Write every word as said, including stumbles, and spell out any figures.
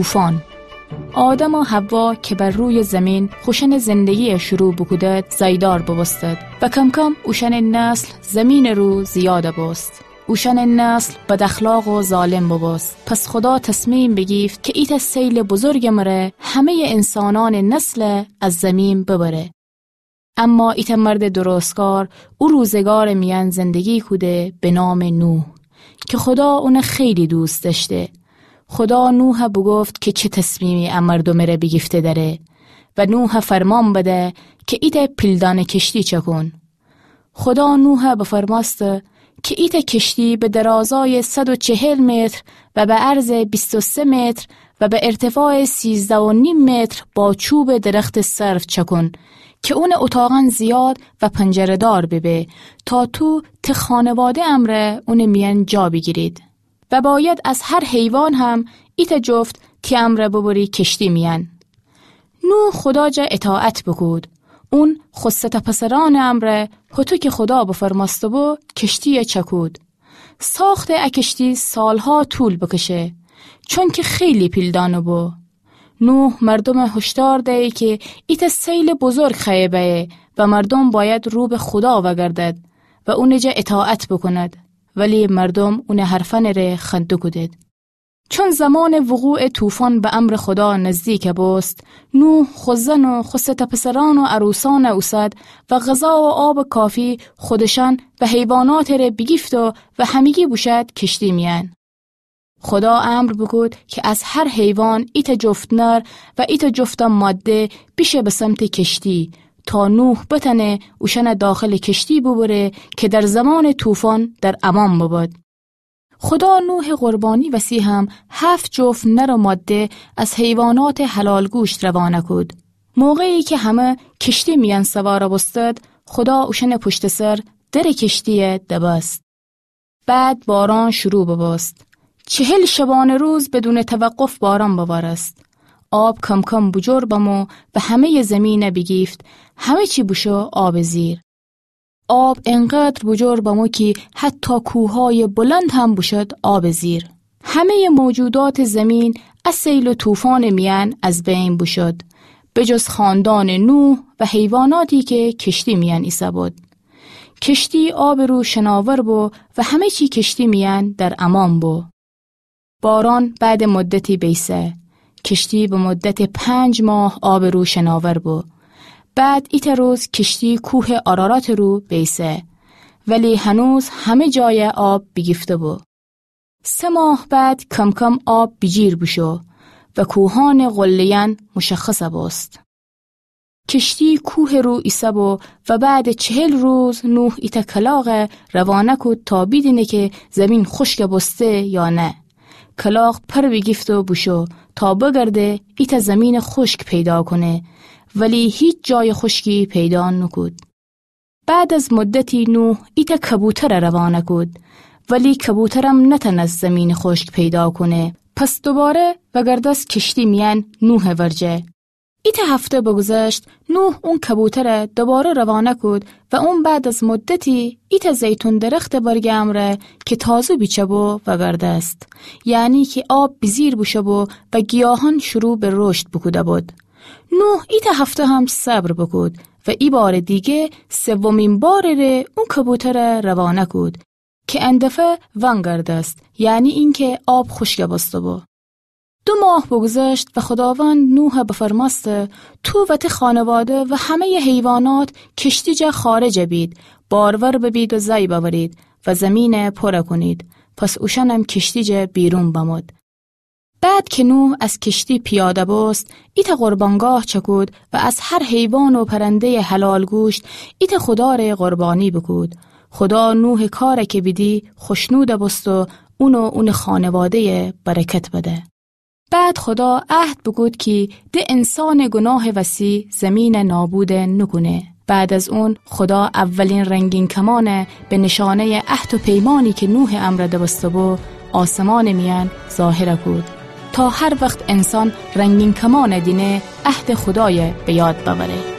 طوفان. آدم و حوا که بر روی زمین خوشأنٚ زندگی شروع بوکودد، زایدار بوبوستد و کم‌کم اوشأنٚ نسل زمینٚ رو زیاد بوست. اوشأنٚ نسل بداخلاق و ظالم بوبوست. پس خدا تصمیم بیگیفت که ایتأ سیلٚ بزرگٚ مره همه‌یٚ انسانأنٚ نسل از زمین ببره. اما ایتأ مردٚ درستکار او روزگارٚ میأن زندگی کوده به نامٚ نوح که خدا اون خیلی دوست دأشته. خدا نوح بوگفت که چه تصمیمی ا مردومٚ ره بیگیفته دأره و نوح فرمان بده که ایتأ پیلدانه کشتی چکون. خدا نوح بفرمأسته که ایتأ کشتی به درازایٚ صد و چهل متر و به عرضٚ بیست و سه متر و به ارتفاعٚ سیزده و نیم متر با چوبٚ درختٚ سرو چکون که اونٚ اتاقأن زیاد و پنجره‌دار ببه، تا تو ته خانواده امرأ اونٚ میأن جا بیگیرید. و باید از هر حیوان هم ایتأ جفت تی امرأ ببری کشتی میأن. نوح خدا جا اطاعت بوکود. اون خو سه تا پسرأنٚ امرأ، هوطو که خدا بفرمأسته‌بو، کشتی‌یه چکود. ساختٚ ا کشتی سالها طول بکشه، چونکه خیلی پیلدانه بو. نوح مردومه هشدار دیی که ایتأ سیلٚ بزرگ خوأیه بأیه و مردوم باید رو به خدا وأگردد و اونٚ جا اطاعت بوکوند. ولی مردوم اونٚ حرفأنٚ ره خنده کودید. چون زمانٚ وقوعٚ طوفان به امرٚ خدا نزدیک بوست، نوح خو زن و خو سه تا پسرأن و عروسأنه اوسد و غذا و آبٚ کافی خودشأن و حیواناتٚ ره بیگیفت و همگی بوشد کشتی میأن. خدا امر بوکود که از هر حیوان ایتأ جفت نر و ایتأ جفت ماده بیشه به سمتٚ کشتی، تا نوح بتأنه اوشأنه داخلٚ کشتی بوبره که در زمانٚ طوفان در امان ببد. خدا نوحٚ قربانی وسی هم هفت جفت نر و ماده از حیواناتٚ حلال گوشت روانه کود. موقعی که همه کشتی میأن سوار بوستد، خدا اوشأنٚ پشتٚ سر درٚ کشتی‌یه دبست. بعد باران شروع ببوست. چهل شبانه روز بدونٚ توقف باران بوارست. آب کم‌کم بوجور بمو و همه‌یٚ زمینه بیگیفت. همه چی بوشو آبٚ زیر. آب انقدر بوجور بمو کی حتی کوه‌هایٚ بلند هم بوشد آبٚ زیر. همه‌یٚ موجوداتٚ زمین ا سیل و طوفانٚ میأن از بین بوشد، به جز خاندانٚ نوح و حیواناتی که کشتی میأن ایسه‌بود. کشتی آبٚ رو شناور بو و همه چی کشتی میأن در امان بو. باران بعدٚ مدتی بیسه. کشتی به مدتٚ پنج ماه آبٚ رو شناور بو. بعد ایتأ روز کشتی کوهٚ آراراتٚ رو بیسه، ولی هنوز همه جای آب بیگیفته بو. سه ماه بعد کم‌کم آب بیجیر بوشو و کوهانٚ قله‌یأن مشخص بوست. کشتی کوهٚ رو ایسه‌بو و بعدٚ چهل روز نوح ایتأ کلاغه روانه کود تا بیدینه که زمین خشک بوسته یا نه. کلاغ پر بیگیفت و بوشو تا بگرده ایتأ زمینٚ خشک پیدا کونه، ولی هیچ جایٚ خشکی پیدا نوکود. بعد از مدتی نوح ایتأ کبوتر روانه کود، ولی کبوترم نتأنست زمینٚ خشک پیدا کونه. پس دوباره وأگردست کشتی میأن نوحٚ ورجه. ایتأ هفته بگذشت، نوح اون کبوتر دوباره روانه کود و اون بعد از مدتی ایتأ زیتون درختٚ برگٚ امرأ که تازه بیچه بو وأگردست، یعنی که آب بیجیر بوشو بو و گیاهان شروع به رشد بوکوده بود. نوح ایتأ هفته هم صبر بوکود و ای بارٚ دیگه سومین بارٚ ره اون کبوتر روانه کود که ان دفعه وأنگردست، یعنی اینکه آب خشک بوسته بو. دو ماه بگذشت و خداوند نوح بفرمأسته: تو و تی خانواده و همه‌یٚ حیوانات کشتی جا خارج بید، بارور ببید و زأی بأورید و زمین پر کونید. پس اوشأنم کشتی جا بیرون بمود. بعد که نوح از کشتی پیاده بوست، ایتأ قربانگاه چکود و از هر حیوان و پرنده‌یٚ حلال گوشت ایتأ خدا ره قربانی بوکود. خدا نوحٚ کار که بیدی خوشنود بوست و اون و اونٚ خانواده‌یه برکت بده. بعد خدا عهد بوکود کی ده انسانٚ گناهٚ وسی زمین نابود نوکونه. بعد از اون خدا اولین رنگین کمان به نشانه‌یٚ عهد و پیمانی که نوحٚ امرأ دوسته بو آسمانٚ میأن ظاهر کود، تا هر وخت انسان رنگین کمان دینه عهدٚ خدای به یاد بأوره.